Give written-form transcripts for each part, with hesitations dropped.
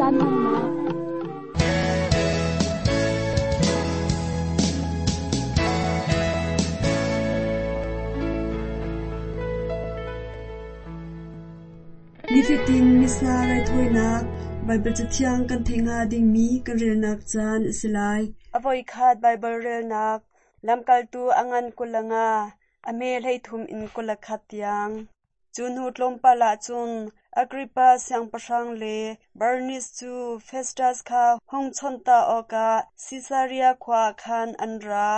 Caan hmannak. Nifatin Missa raithawinak Baibal Cathiang kan theih hnga dingmi kan relnak caan a si lai. A voikhat Baibal relnak Lamkaltu a ngan 25, a hme 33 in 21 tiang. Cu hnu tlawmpal ah cun Agrippa siangpahrang le Bernis cu Festas kha hung chawnh ta awkah Sisaria khua ah khan an ra.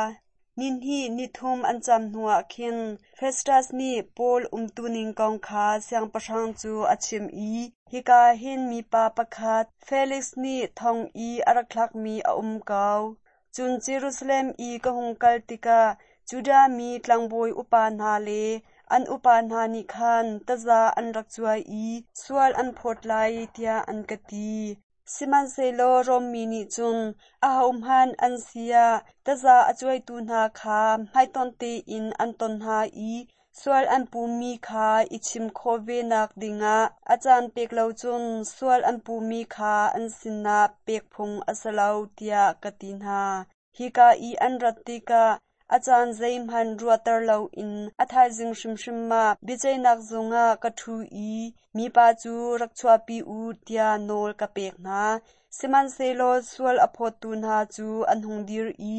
Nihnih nithum an cam hnuah khin Festas nih Paul umtuning kong kha siangpahrang cu a chimh i, “Hika hin mipa pakhat Felix nih thong i a rak thlakmi a um ko. Cun Jerusalem i ka hung kal tikah Judah mi tlangbawi upa hna le an upa hna nih khan taza an rak cuai i sual an phawt lai tiah an ka ti. Sihmanhsehlaw Rom mi nih cun ahohmanh an si ah taza a cuaitu hna kha hmaitonh tein an ton hna i sual an puhmi kha i chim khawh venak dingah a caan pek lo cun sual an puhmi kha an sinah pek phung a si lo tiah ka ti hna. Hika i an rat tikah a caan zeihmanh ruahter loin a thaizing hrimhrim ah biaceihnak zung ah ka ṭhu i mipa cu rak chuahpi u tiah nawl ka pek hna. Sihmanhsehlaw sual a phawttu hna cu an hung dir i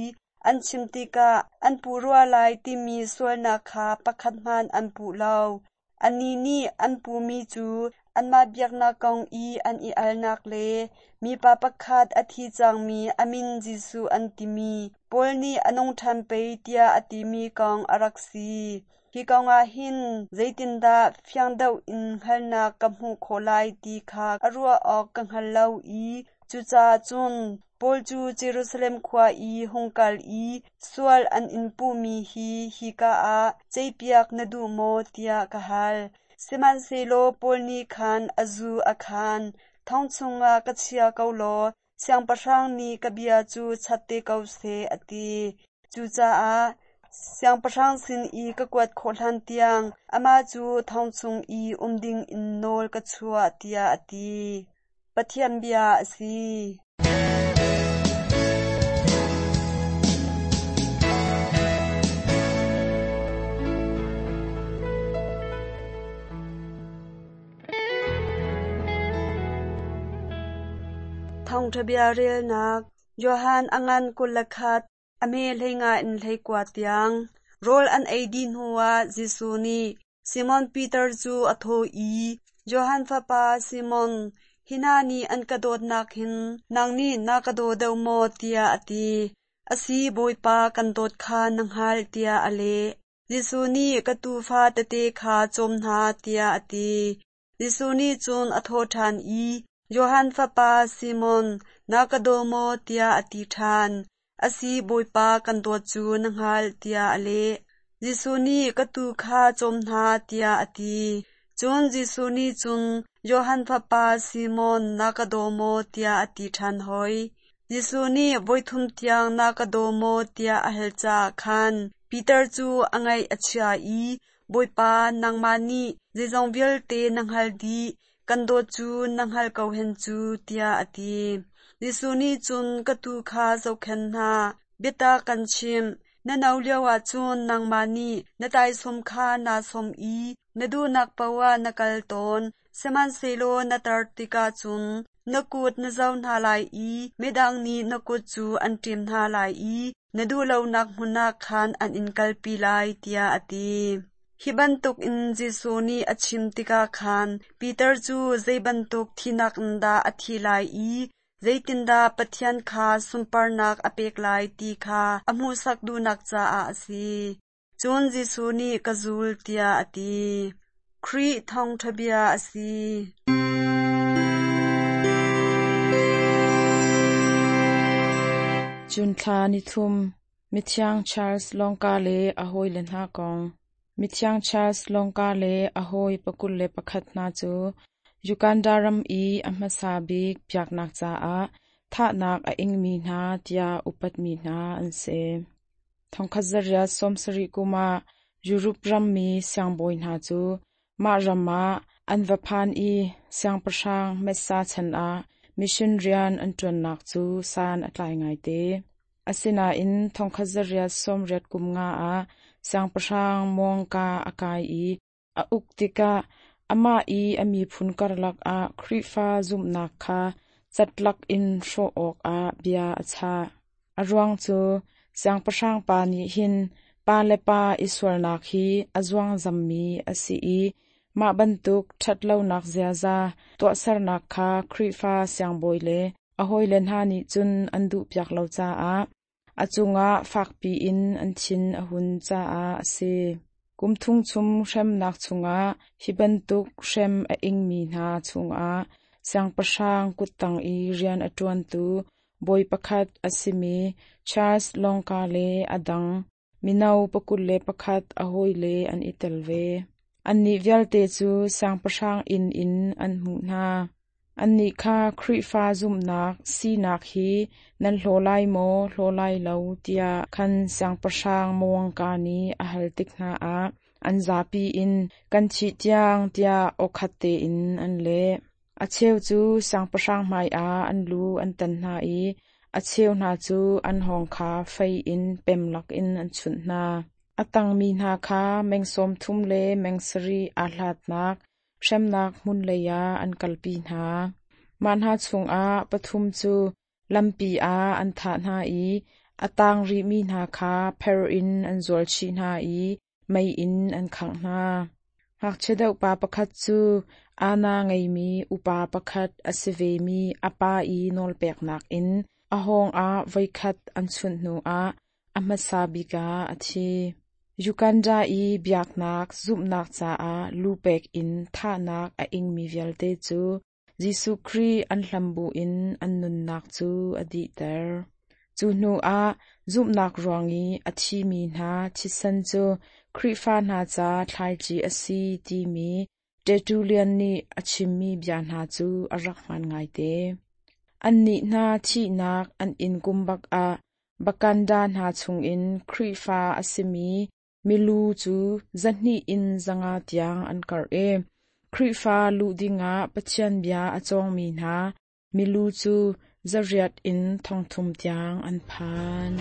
an chim tikah an puh rua lai timi sualnak kha pakhat hmanh an puh lo. Annih nih an puhmi cu anmah biaknak kong i an i alnak le mipa pakhat a thi cangmi a min Jesuh an timi Paul nih a nung ṭhan pei tiah a timi kong a rak si. Hi kong ah hin zeitindah fiang deuh in hngalhnak ka hmuh khawh lai ti kha a ruah awk ka hngal lo i cucaah cun Paul cu Jerusalem khua i hung kal i sual an in puhmi hi hika ah ceihpiak na duh maw tiah ka hal. Sihmanhsehlaw Paul nih khan a zu a khaan. Thong chungah ka chia ko law siangpahrang nih ka bia cu chat te ko seh, a ti. Cucaah siangpahrang sin i ka kuat khawh hlantiang amah cu thong chung i um dingin nawl ka chuah, tiah a ti. Pathian bia a si. Thawngṭha bia relnak Johan a ngan 21, a hme 15 in 19 tiang. Rawl an ei dih hnuah Jesuh nih Simon Peter cu a thawh i, Johan fapa Simon, hi hna nih an ka dawtnak hin nang nih na ka daw deuh maw? tiah a ti. A si, Bawipa, kan dawt kha na hngalh, tiah a leh. Jesuh nih, Ka tuufa tete kha cawm hna, tiah a ti. Jesuh nih cun a thawh ṭhan i, Johan fapa Simon, na ka daw maw? tiah a ti ṭhan. A si, Bawipa, kan dawt cu na hngalh, tiah a leh. Jesuh nih, Ka tuu kha cawm hna, tiah a ti. Cun Jesuh nih cun, Johan fapa Simon, na ka daw maw? tiah a ti ṭhan hoi. Jesuh nih voithum tiang na ka daw maw tiah a hal caah khan Peter cu a ngaih a chia i Bawipa, nangmah nih zeizong vialte na hngalh dih, kan dawt cu na hngalh ko hen cu, tiah a ti. Jesuh nih cun ka tuu kha zohkhenh hna, biatak kan chimh, na no lioah cun nangmah nih na taisawm kha naa sawm i na duhnak paoh ah na kal tawn, sihmanhsehlaw na tar tikah cun na kut na zo hna lai i midang nih na kut cu an ṭem hna lai i na duh lonak hmun ah khan an in kalpi lai, tiah a ti. Hi bantukin Jesuh nih a chim tikah khan Peter cu zei bantuk thinak in dah a thi lai i zeitindah Pathian kha sunparnak a pek lai ti kha a hmuhsak duhnak caah a si. Cun Jesuh nih ka zul tiah a ti. Khrih thawngṭha bia a si. Cun thla nithum, Mithiang Charles Lawngka le a hawile hna kong. Mithiang Charles Lawngka le a hawi 21 hna cu Uganda ram i a hmasa bik biaknak caah thahnak a ingmi hna tiah upatmi hna an si. 1870 kum ah Europe rammi siangbawi hna cu mah ram ah an va phan i siangpahrang Messa chan ah Mission rian an ṭuannak cu san a tlai ngaite. Asinain 1880 kum nga ah siangpahrang Muangka a kai i a uk tikah amah i a miphun karlak ah Khrihfa zumhnak kha catlak in hrawh awkah bia a chah. A ruang cu siangpahrang pa nih hin pa le pa i sualnak hi a zuangzammi a si i mah bantuk ṭhatlonak ziaza tuahsernak kha Khrihfa siangbawi le a hawile hna nih cun an duhpiak lo caah a cungah fakpi in an thin a hun caah a si. Kum thum chung hremnak chungah hi bantuk hrem a ingmi hna chungah siangpahrang kuttang i rian a ṭuantu bawi pakhat a simi Charles Longka le a dang mino 21 a hawile an i tel ve. Annih vialte cu siangpahrang inn in an hmuh hna. Annih kha Khrihfa zumhnak sinak hi nan hlaw lai maw, hlaw lai lo tiah khan siangpahrang Mawangka nih a hal tik hna ah an zapi in kan thih tiang tiah awkhat tein an leh. A cheu cu siangpahrang hmaiah an lu an tan hna i a cheu hna cu an hawng kha fei in pem lakin an chunh hna. A tangmi hna kha meng 30 le meng 7 aa hlatnak hremnak hmun lei ah an kalpi hna. Mah hna chungah pathum cu lampi ah an thah hna i a tang rihmi hna kha pher in an zual chih hna i mei in an khangh hna. Ngakchia deuh pa pakhat cu aana ngeimi upa pakhat a si vemi a pa i nawlpeknak in a hawng ah voikhat an chunh hnuah a hmasa bik ah a thi. Uganda i biaknak zumhnak caah lupek in thahnak a ingmi vialte cu Jesuh Khrih an hlam buin an nunnak cu a dihter. Cu hnuah zumhnak ruang i a thimi hna thisen cu Khrihfa hna ca thlaici a si timi Tertullian nih a chimmi bia hna cu a rak hmaan ngaite. Annih hna thihnak an inn kum bak ah Bakanda hna chungin Khrihfa a simi milu cu 200 in 500 tiang an karh i Khrihfa luh dingah Pathian bia a cawngmi hna milu cu 800 in 3,000 tiang an phan.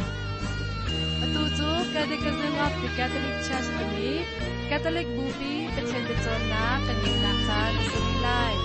Atu cu Catechism of the Catholic Church timi Catholic Bupi Pathian biacawnnak kan ngeihnak caan a si rih lai.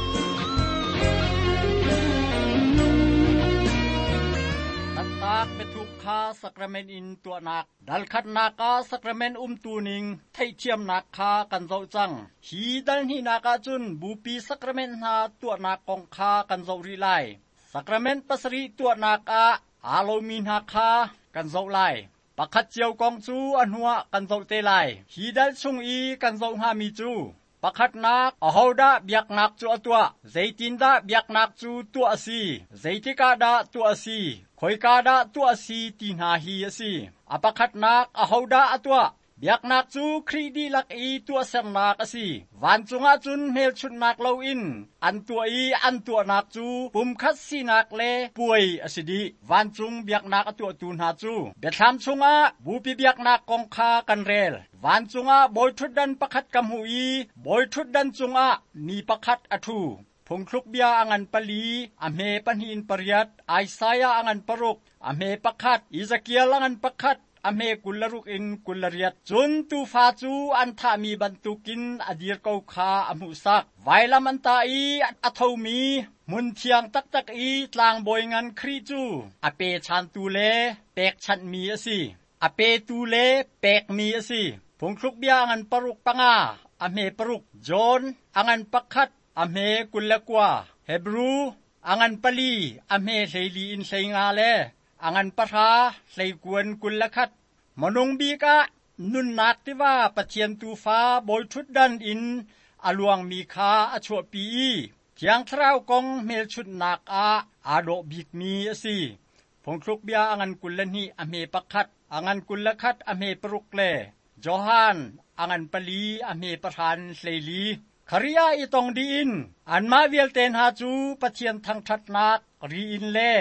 Taktak biathuk kha sacrament in tuahnak dal khatnak ah sacrament umtu ning theihthiamnak kha kan zoh cang. Hi dal hnihnak ah cun bupi sacrament hna tuahnak kong kha kan zoh rih lai. Sacrament pasarih tuahnak ah aa lomi hna kha kan zoh lai. Pakhat cio kong cu a hnuah kan zoh te lai. Hi dal chung i kan zoh hngami cu pakhatnak, ahodah biaknak cu a tuah? Zeitindah biaknak cu tuah a si? Zeitik ah dah tuah a si? Khoika dah tuah a si ti hna hi a si. A pakhatnak, ahodah a tuah? Biaknak cu Khrih dihlak i tuahsernak a si. Vancung ah cun hmelchunhnak loin an tuah i an tuahnak cu pumkhat sinak le puai a si dih. Vancung biaknak a tuahtu hna cu Biathlam chungah bupi biaknak kong kha kan rel. Vancung ah bawiṭhutdan pakhat ka hmuh i bawiṭhutdan cungah mi pakhat a ṭhu. Phungthluk bia a ngan pali, a hme pahnih in pariat, Isaiah a ngan paruk, a hme pakhat, Ezekiel a ngan pakhat, a hme 26 in 28. Cun tuufa cu an thahmi bantukin a dir ko kha a hmuhsak. Vailam an tah i a thomi hmun thiang taktak i tlangbawi ngan Khrih cu a pechantu le pekchanhmi a si. A petu le pekmi a si. Phungthluk bia a ngan paruk panga, a hme paruk. John a ngan pakhat, a hme 29. Hebru a ngan pali, a hme 14 in 15 le a ngan pahra hleikuan 21. Minung bik ah nunnak tiva Pathian Tuufa bawiṭhutdan in a luangmi kha a chuahpi i Thiang Thlarau kong hmelchunhnak ah aa dawh bikmi a si. Phungthluk bia a ngan 22 a hme pakhat, a ngan 21 a hme paruk le Johan a ngan pali a hme pahran 14. Kharia i tong dih in anmah vialte hna cu Pathian thangṭhatnak ri in le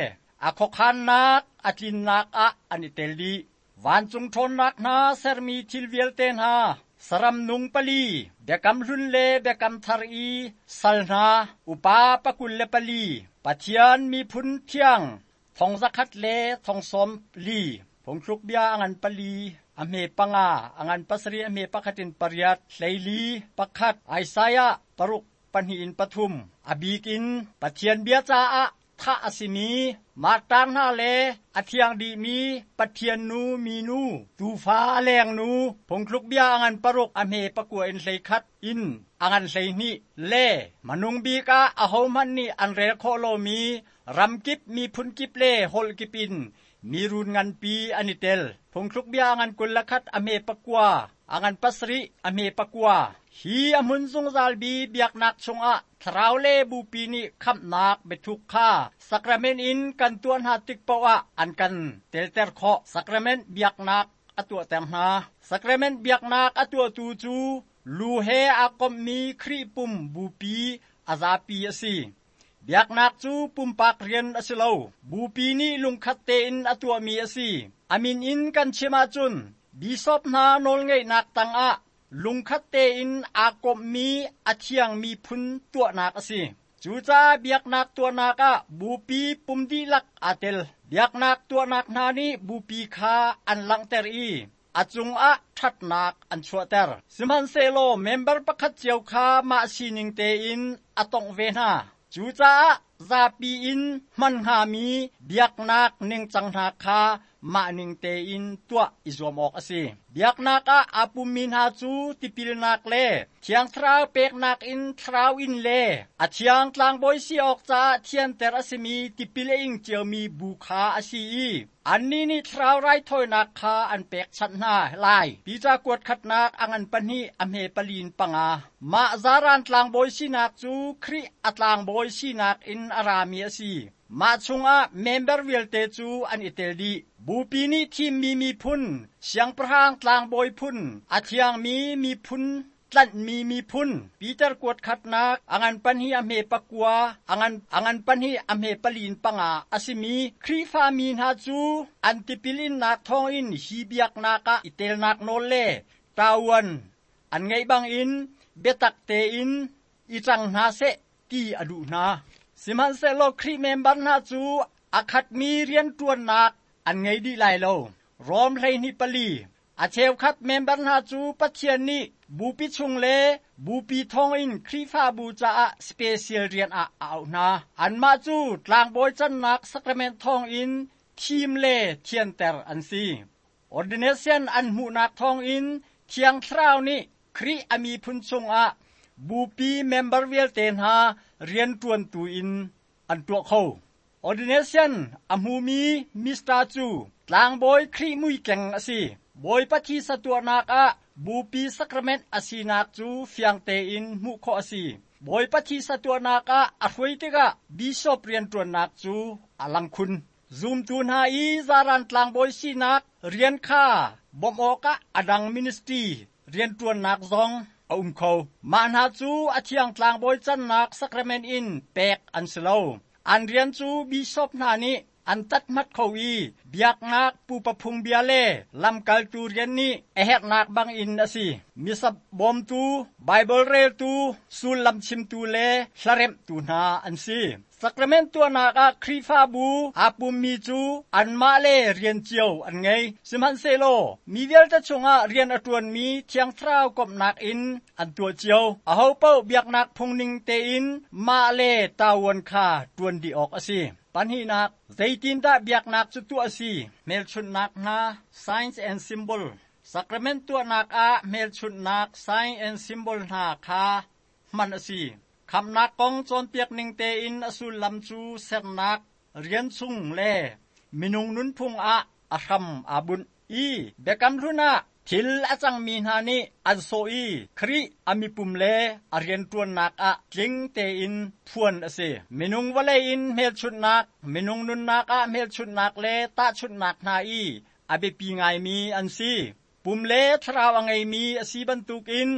a khuakhannak a tlinnak ah an i tel dih. Vancung ṭhawnnak hna sermi thil vialte hna, Saram nung pali, Biakam Hlun le Biakam Thar i sal hna, upa 24, Pathian miphun thiang, 100,000 le 40,000, Phungthluk bia a ngan pali, a hme panga, a ngan pasarih a hme pakhat in pariat, 14, pakhat, Isaiah paruk pahnih in pathum, a bik in Pathian bia caah thah a simi martar hna le a thiang dihmi Pathian nu minu, tuufa a lengnu, phungthluk bia a ngan paruk a hme pakua in 11 in a ngan 12 le hmanung bik ah ahohmanh nih an rel khawh lomi ramkip miphun kip le holh kip in mirun nganpi an i tel. Phungthluk bia a ngan 21 a hme pakua, a ngan pasarih a hme pakua. Hi a hmun zungzal bi biaknak chungah Thlarau le Bupi nih khamhnak biathuk kha sacrament in kan tuah hna tik paoh ah an kan telter khawh. Sacrament biaknak a tuahter hna. Sacrament biaknak a tuahtu cu lu he aa komhmi Khrih pum Bupi a zapi a si. Biaknak cu pumpak rian a si lo. Bupi nih lungkhat tein a tuahmi a si. A min in kan chim ahcun bishop hna nawlngeihnak tangah lungkhat tein aa komhmi a thiangmi phun tuahnak a si. Cucaah biaknak tuahnak ah bupi pum dihlak aa tel. Biaknak tuahnak hna nih bupi kha an langhter i a cungah ṭhatnak an chuahter. Sihmanhsehlaw member pakhat cio kha mah sining tein a tongh ve hna. Cucaah zapi in hman hngami biaknak ningcang hna kha mah ning tein tuah i zuam awk a si. Biaknak ah aa pummi hna cu tipilnak le Thiang Thlarau peknak in thlarau in le a thiang tlangbawi si awk caah thianter a simi tipil a ing ciomi bu kha a si i annih nih thlarau raithawinak kha an pekchanh hna lai. Peter kuat khatnak a ngan pahnih a hme palin panga. Mah zaran tlangbawi sinak cu Khrih a tlangbawi sinak in a rami a si. Mah chungah member vialte cu an i tel dih. Bupi nih thimmi miphun, siangpahrang tlangbawi phun, a thiangmi miphun, tlanhmi miphun, Peter kuat khatnak, a ngan pahnih a hme pakua, a ngan, a ngan pahnih a hme palin panga a simi Khrihfa mi hna cu an tipil innak thawngin hi biaknak ah i telnak nawl le ṭavuan an ngeih bangin biatak tein i cang hna seh ti a duh hna. Sihmanhsehlaw Khrih member hna cu a khatmi rianṭuannak an ngei dih lai lo. Rom 12 pali. A cheukhat member hna cu Pathian nih bupi chung le bupi thawngin Khrihfabu caah special rian ah a auh hna. Anmah cu tlangbawi cannak sacrament thawngin thim le thianter an si. Ordination an hmuhnak thawngin Thiang Thlarau nih Khrih a miphun chungah bupi member vialte hna rianṭuantu in an tuah kho. Ordination a hmumi Mista cu tlangbawi Khrih muikeng a si. Bawipa thisa tuahnak ah bupi sacrament a sinak cu fiang tein hmuh khawh a si. Bawipa thisa tuahnak ah a hruai tikah bishop rianṭuannak cu a lang khun. Zumtu hna i zaran tlangbawi sinak rian kha bawmh awkah a dang ministry rianṭuannak zong a um kho. Mah hna cu a thiang tlangbawi cannak sacrament in pek an si lo. An rian cu bishop hna nih an tathmat kho i biaknak pupa phungbia le lamkaltu rian nih a herhnak bangin a si. Missa bawmtu, Baibal reltu, sullam chimtu le hlaremhtu hna an si. Sacrament tuahnak ah Khrihfabu aa pummi cu anmah le rian cio an ngei. Sihmanhsehlaw mi vialte chungah rian a ṭuanmi Thiang Thlarau komhnak in an tuah cio. Ahopaoh biaknak phungning tein mah le ṭavuan kha ṭuan dih awk a si. Pahnihnak, zeitindah biaknak cu tuah a si? Hmelchunhnak hna, signs and symbol. Sacrament tuahnak ah hmelchunhnak, sign and symbol hna kha hman a si. Khamhnak kong cawnpiak ning tein a sullam cu sernak rian chung le minung nunphung ah a hram aa bunh i Biakam Hlun ah thil a cangmi hna nih an sawh i Khrih a mipum le a rianṭuannak ah tling tein phuan a si. Minung vawlei in hmelchunhnak, minung nunnak ah hmelchunhnak le tahchunhnak hna i a biapi ngaimi an si. Pum le thlarau a ngeimi a si bantukin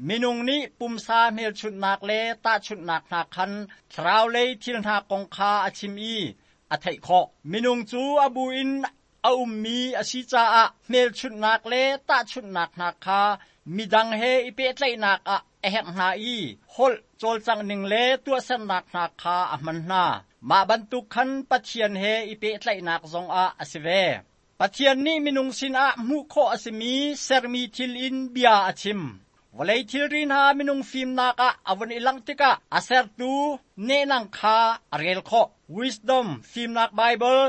minung nih pumsa hmelchunhnak le tahchunhnak hna khan thlarau lei thil hna kong kha a chim i a theih khawh. Minung cu a bu in a ummi a si caah hmelchunhnak le tahchunhnak hna kha Midang he i pehtlaihnak ah a herh hna i holh cawlcangh ning le tuahsernak hna kha a hman hna. Mah bantuk khan Pathian he i pehtlaihnak zongah a si ve. Pathian nih minung sinah hmuh khawh a simi sermi thil in bia a chim. Vawlei thilri hna minung fimnak ah a vun i langh tikah a sertu nehnang kha a rel khawh. Wisdom Fimnak Baibal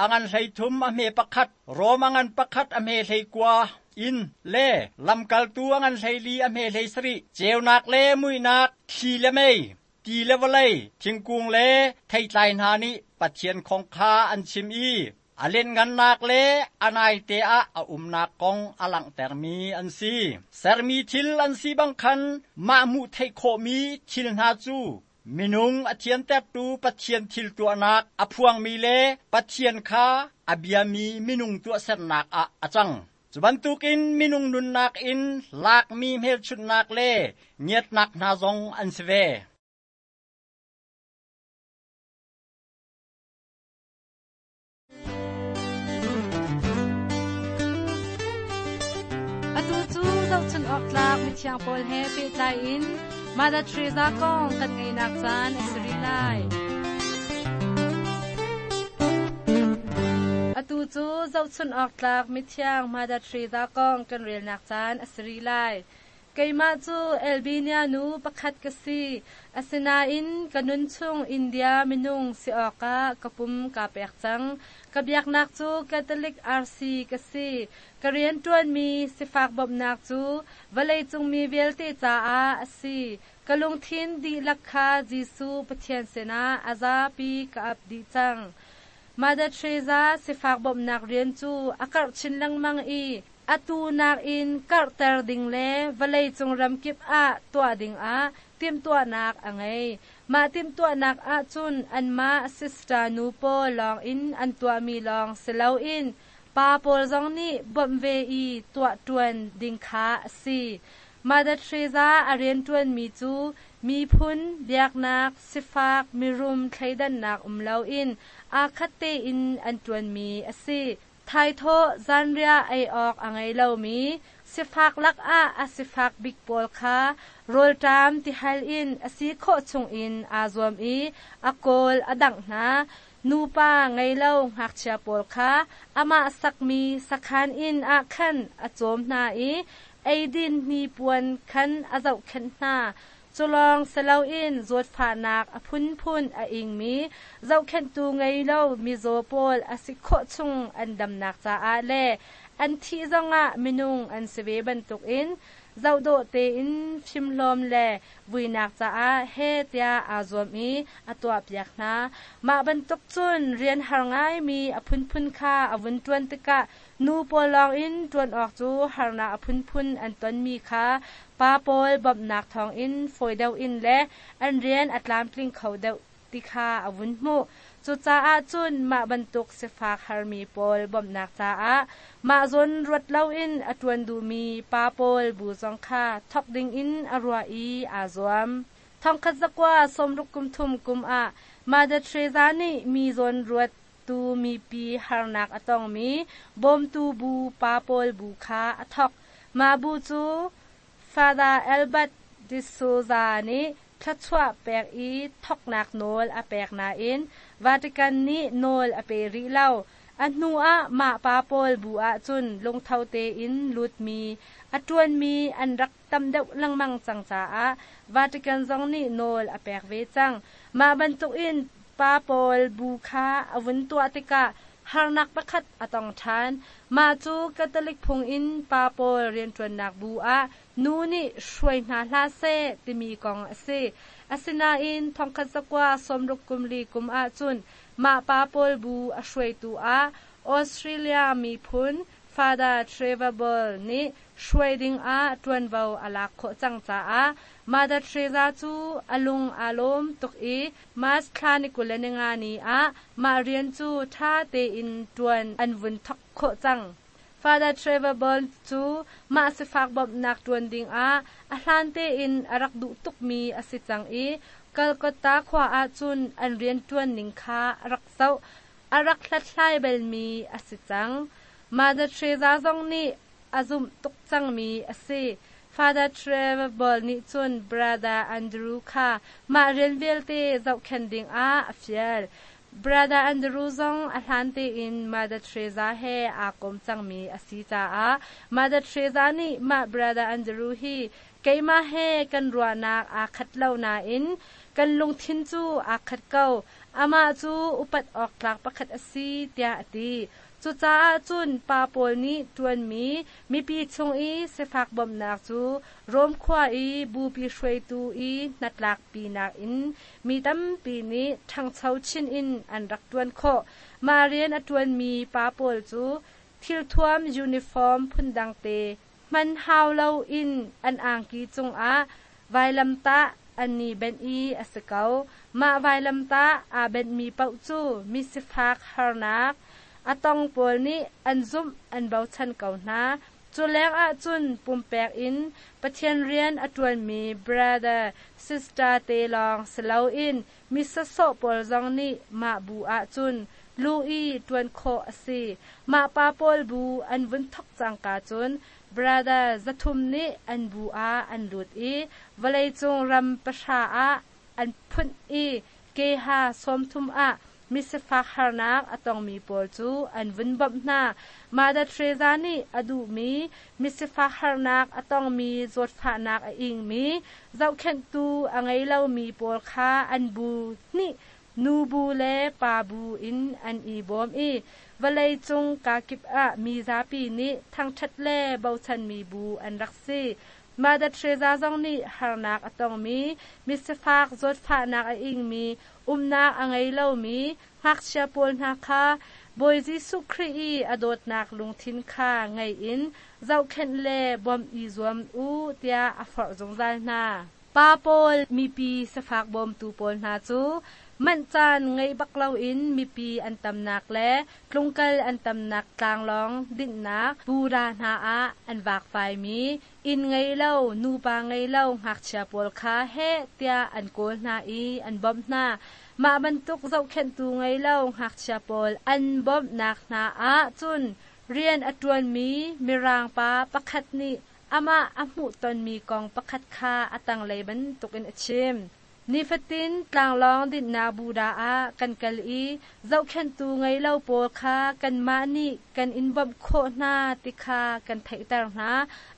a ngan 13 a hme pakhat, Rom a ngan pakhat a hme 19 in le Lamkaltu a ngan 14 a hme 17, ceunak le muihnak, thli le mei, ti le vawlei, thingkung le theitlai hna nih Pathian kong kha an chim i a lianhngannak le a naite ah a umnak kong a langhtermi an si. Sermi thil an si bang khan mah hmuh theih khawhmi thil hna cu minung a thiantertu Pathian thil tuahnak a phuangmi le Pathian kha a biami minung tuahsernak ah a cang. Cu bantukin minung nunnak in lakmi hmelchunhnak le ngiatnak hna zong an si ve. Atu cu zohchun awk tlak mithiang pawl he pehtlai in Mother Teresa kong kan ngeihnak caan a si rih lai. Atu cu zohchun awk tlak mithiang Mother Teresa kong kan relnak caan a si rih lai. Keimah cu Albania nu pakhat ka si. Asinain ka nunchung India minung si awkah ka pum kaa pek cang. Ka biaknak cu Catholic RC ka si. Ka rianṭuanmi sifak bawmhnak cu vawleicung mi vialte caah a si. Ka lungthin dihlak kha Jesuh Pathian sinah a zapi ka ap dih cang. Mother Teresa sifak bawmhnak rian cu a karh chin lengmang i atu nakin karhter ding le vawleicung ramkip ah tuah dingah timhtuahnak a ngei. Mah timhtuahnak ahcun anmah sister nu pawl lawngin an tuahmi lawng si loin pa pawl zong nih bawmh ve i tuah ṭuan ding kha a si. Mother Teresa a rianṭuanmi cu miphun, biaknak, sifak, mirum thleidannak um loin aa khat tein an ṭuanmi a si. Thaithawh zanriah ei awk a ngei lomi sifak lakah a sifak bik pawl kha rawlṭam tihal in a si khawh chungin aa zuam i a kawl a dangh hna. Nupa ngei lo ngakchia pawl kha amah sakmi sakhan inn ah khan a cawm hna i eidin hnipuan khan a zohkhenh hna. Culawng si loin zawtfahnak a phunphun a ingmi zohkhenhtu ngei lo mizaw pawl a si khawh chung an damnak caah le an thih zongah minung an si ve bantukin zohdawh tein fimhlawm le vuinak caah heh tiah aa zuam i a tuahpiak hna. Mah bantuk cun rian har ngaimi a phunphun kha a vun ṭuan tikah Nu pawl lawngin ṭuan awk cu harnak a phunphun an tonmi kha pa pawl bawmhnak thawngin fawi deuh in le an rian a tlamtling kho deuh ti kha a vun hmuh. Cucaah cun mah bantuk sifak harmi pawl bawmhnak caah mah zawn ruat loin a ṭuan duhmi pa pawl bu zong kha thawk dingin a ruah i aa zuam. Thongkhat zakua sawmruk kum thum kum ah Mother Teresa nih mi zawn ruat tu mipi harnak a tongmi bawmtu bu pa pawl bu kha a thawk. Mah bu cu Father Albert de Souza nih thluachuah pek i thawknak nawl a pek nain Vatican nih nawl a pe rih lo. A hnu ah mah pa pawl bu ahcun lungtho tein lutmi, a ṭuanmi an rak tam deuh lengmang cang caah Vatican zong nih nawl a pek ve cang. Mah bantukin pa pawl bu kha a vun tuah tikah harnak pakhat a tong ṭhan. Mah cu Catholic phung in pa pawl rianṭuannak bu ah nu nih hruai hna hlah seh timi kong a si. Asinain thongkhat zakua sawmruk kum li kum ahcun mah pa pawl bu a hruaitu ah Australia miphun Father Trevor Ball nih hruai dingah ṭuanvo a lak khawh cang caah Mother Teresa cu a lung aa lawm tuk i March thla ni 25 ni ah mah rian cu ṭha tein ṭuan an vun thawk khawh cang. Father Trevor Ball cu mah sifak bawmhnak ṭuan dingah a hlan tein a rak duh tukmi a si cang i Calcutta khua ahcun an rianṭuan ning kha a rak zoh, a rak hlathlai balmi a si cang. Mother Teresa zong nih a zumh tuk cangmi a si. Father Trevor nih cun Brother Andrew kha mah rian vialte zohkhenh dingah a fial. Brother Andrew zong a hlan tein Mother Teresa he aa kom cangmi a si caah Mother Teresa nih mah Brother Andrew hi keimah he kan ruahnak aa khat lo nain kan lungthin cu aa khat ko. Amah cu upat awk tlak pakhat a si tiah a ti. Cucaah cun pa pawl nih ṭuanmi mipi chung i sifak bawmhnak cu Rom khua i bupi hruaitu i hnatlakpinak in mi tampi nih ṭhangcho chin in an rak ṭuan khawh. Mah rian a ṭuanmi pa pawl cu thilthuam uniform phundang te hman hau loin an angki cungah vailamtah an i benh i a si ko. Mah vailamtah aa benhmi paoh cu misifak harnak a tong pawl nih an zumh an bochan ko hna. Cu lengah cun pumpek in Pathian rian a ṭuanmi brother sister te lawng si loin mi sawsawh pawl zong nih mah bu ahcun lu i ṭuan khawh a si. Mah pa pawl bu an vun thok cangka cun brother 300 nih an bu ah an lut i vawleicung ram 9 ah an phunh i keha 30 ah misifak harnak a tongmi pawl cu an vun bawmh hna. Mother Teresa nih a duhmi misifak harnak a tongmi zawtfahnak a ingmi zohkhenhtu a ngei lomi pawl kha an bu hnih nu bu le pa bu in an i bawm i vawleicung kakip ah mi zapi nih thangṭhat le bochanmi bu an rak si. Mother Teresa zong nih harnak a tongmi misifak zawtfahnak a ingmi umnak a ngei lomi ngakchia pawl hna kha Bawi Jesuh Khrih i a dawtnak lungthin kha ngei in zohkhenh le bawmh i zuam u tiah a forh zungzal hna. Pa pawl mipi sifak bawmtu pawl hna cu manh caan ngei bak loin mipi an tamnak le tlungkal an tamnak tlanglawng dinhnak pura hna ah an vakvaimi inn ngei lo nupa ngei lo ngakchia pawl kha heh tiah an kawl hna i an bawmh hna. Mah bantuk zohkhenhtu ngei lo ngakchia pawl an bawmhnak hna ah cun rian a ṭuanmi mirang pa pakhat nih amah a hmuh tonmi kong pakhat kha a tanglei bantukin a chim. Nifatin tlanglawng dinhnak buda ah kan kal i zohkhenhtu ngei lo pawl kha kanmah nih kan in bawmh khawh hna ti kha kan theihter hna.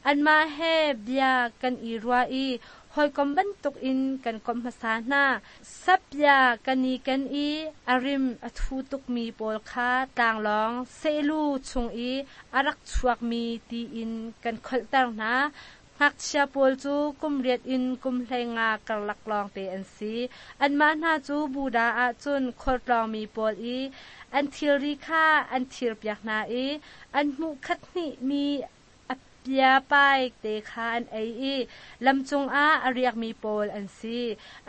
Anmah he bia kan i ruah i hawikom bantukin kan komh hmasa hna. Sapia kan i kan i a rim a thu tukmi pawl kha tlanglawng sehlu chung i a rak chuakmi tiin kan kholhter hna. Ngakchia pawl cu kum 8 in kum 15 karlak lawng te an si. Anmah hna cu Buddha ahcun khualtlawngmi pawl i an thilri kha an thirpiak hna i an hmuh khat hnih mi a pia pai te kha an ei i lamcung ah a riakmi pawl an si.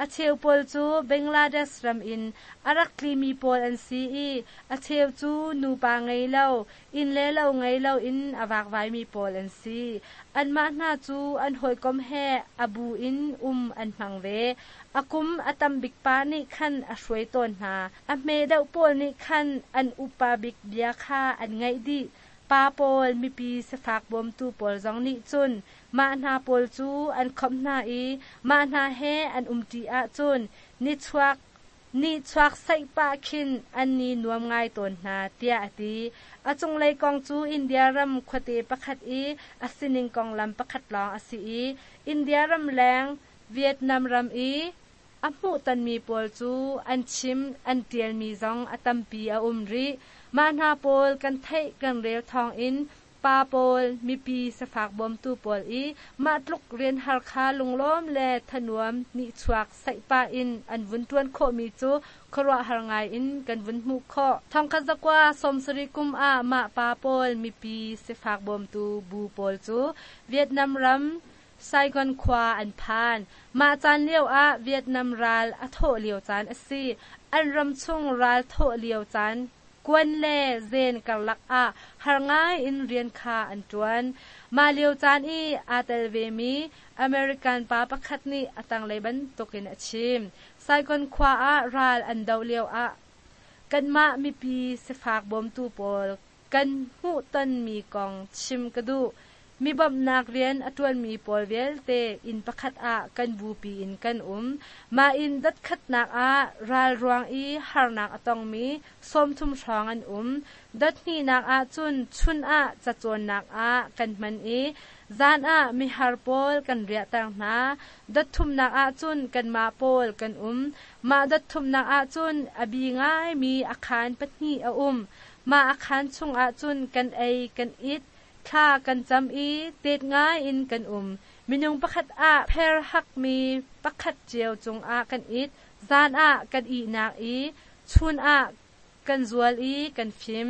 A cheu pawl cu Bangladesh ram in a rak tlimi pawl an si i a cheu cu nupa ngei lo, inn le lo ngei lo in a vakvaimi pawl an si. Anmah hna cu an hawikom he a bu in um an hmang ve. A kum a tam bik pa nih khan a hruai tawn hna. A hme deuh pawl nih khan an upa bik bia kha an ngaih dih. Pa pawl mipi sifak bawmtu pawl zong nih cun mah hna pawl cu an khomh hna i mah hna he an umṭi ahcun nihchuak saih pah khin an ni nuam ngai tawn hna tiah a ti. A cunglei kong cu India ram khuate pakhat i a sining konglam pakhat lawng a si i India ram leng Vietnam ram i a hmuhtonmi pawl cu an chim an ṭialmi zong a tampi a um rih. Mah hna pawl kan theih kan rel thawngin pa pawl mipi sifak bawmtu pawl i mah tluk rian har kha lunglawm le thanuam nihchuak saih pah in an vun ṭuan khawhmi cu khuaruahhar ngai in kan vun hmuh khawh. 1970 kum ah mah pa pawl mipi sifak bawmtu bu pawl cu Vietnam ram Saigon khua an phan. Mah caan lio ah Vietnam ral a thawh lio caan a si. An ram chung ral thawh lio caan kuan le zen karlak ah har ngai in rian kha an ṭuan. Mah lio caan i aa tel vemi American pa pakhat nih a tanglei bantukin a chim. Saigon khua ah ral an doh lio ah kanmah mipi sifak bawmtu pawl kan hmuhtonmi kong chim ka duh. Mi bawmhnak rian a ṭuanmi pawl vialte inn pakhat ah kan bupi in kan um. Mah inn dotkhatnak ah ral ruang i harnak a tongmi 30 hrawng an um. Dot hnihnak ah cun chun ah cacawnnak ah kan hman i zan ah mihar pawl kan riahter hna. Dot thumnak ah cun kanmah pawl kan um. Mah dot thumnak ah cun a bi ngaimi a khaan pahnih a um. Mah a khaan chungah cun kan ei kan it, thla kan cam i tet ngai in kan um. Minung pakhat ah pher hakmi pakhat cio cungah kan it, zan ah kan ihnak i chun ah kan zual i kan fim.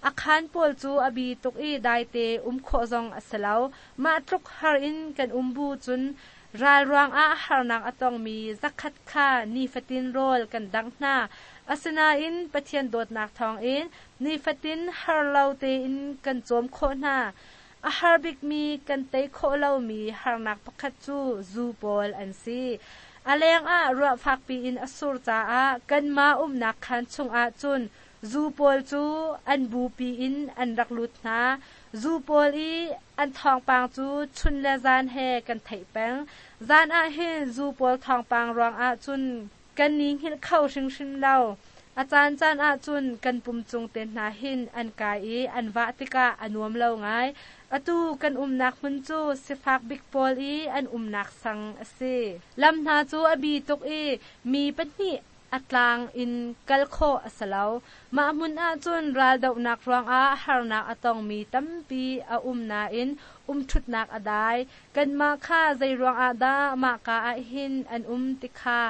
A khaan pawl cu a bi tuk i daite um khawh zong a si lo. Mah tluk har in kan um bu cun ral ruangah harnak a tongmi zakhat kha nifatin rawl kan dangh hna. Asinain Pathian dawtnak thawngin nifatin har lo tein kan cawm khawh hna. A har bikmi kan tei khawh lomi harnak pakhat cu zu pawl an si. A lengah ruah fakpi in a sur caah kanmah umnak khaan chungah cun zu pawl cu an bupi in an rak lut hna. Zu pawl i an thawngpang cu chun le zan he kan theih peng. Zan ah hin zu pawl thawngpang ruangah cun kan ni hngilh kho hringhran lo. A caancaan ah cun kan pum cung te hna hin an kai i an vah tikah a nuam lo ngai. Atu kan umnak hmun cu sifak bik pawl i an umnak sang a si. Lam hna cu a bi tuk i mi pahnih a tlang in kal khawh a si lo. Mah hmun ah cun raldohnak ruangah harnak a tongmi tampi a um nain umṭhutnak a dai. Kanmah kha zei ruangah dah mahka ah hin an um ti kha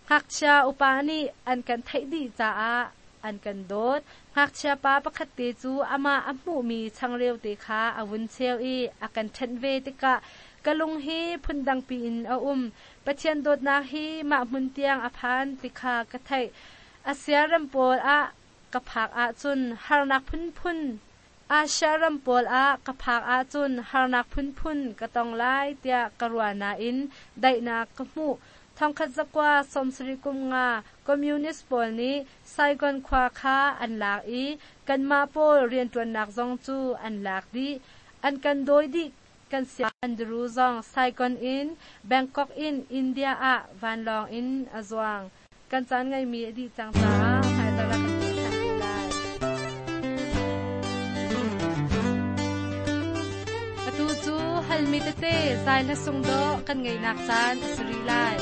ngakchia upa nih an kan theih dih caah an kan dawt. Ngakchia pa pakhat te cu amah a hmuhmi changreu te kha a vun cheu i a kan ṭhenh ve tikah ka lung hi phundangpi in a um. Pathian dawtnak hi mah hmun tiang a phan ti kha ka theih. Asia ram pawl ah ka phak ahcun harnak phunphun Asia ram pawl ah ka phak ahcun harnak phunphun ka tong lai tiah ka ruah nain daihnak ka hmuh. 1975 Communist pawl nih Saigon khua kha an lak i kanmah pawl rianṭuannak zong cu an lak dih. An kan dawi dih. Kan sia Andrew zong Saigon in Bangkok in India ah vanlawng in a zuang. Kan caan ngeimi a dih cang caah hmaizarh ah kan peh ṭhan te lai. Atu cu halmi tete zai hla sung dawh kan ngeihnak caan a si rih lai.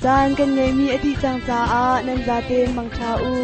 Caan kan ngeihmi a dih cang caah nan zaten mangṭha u.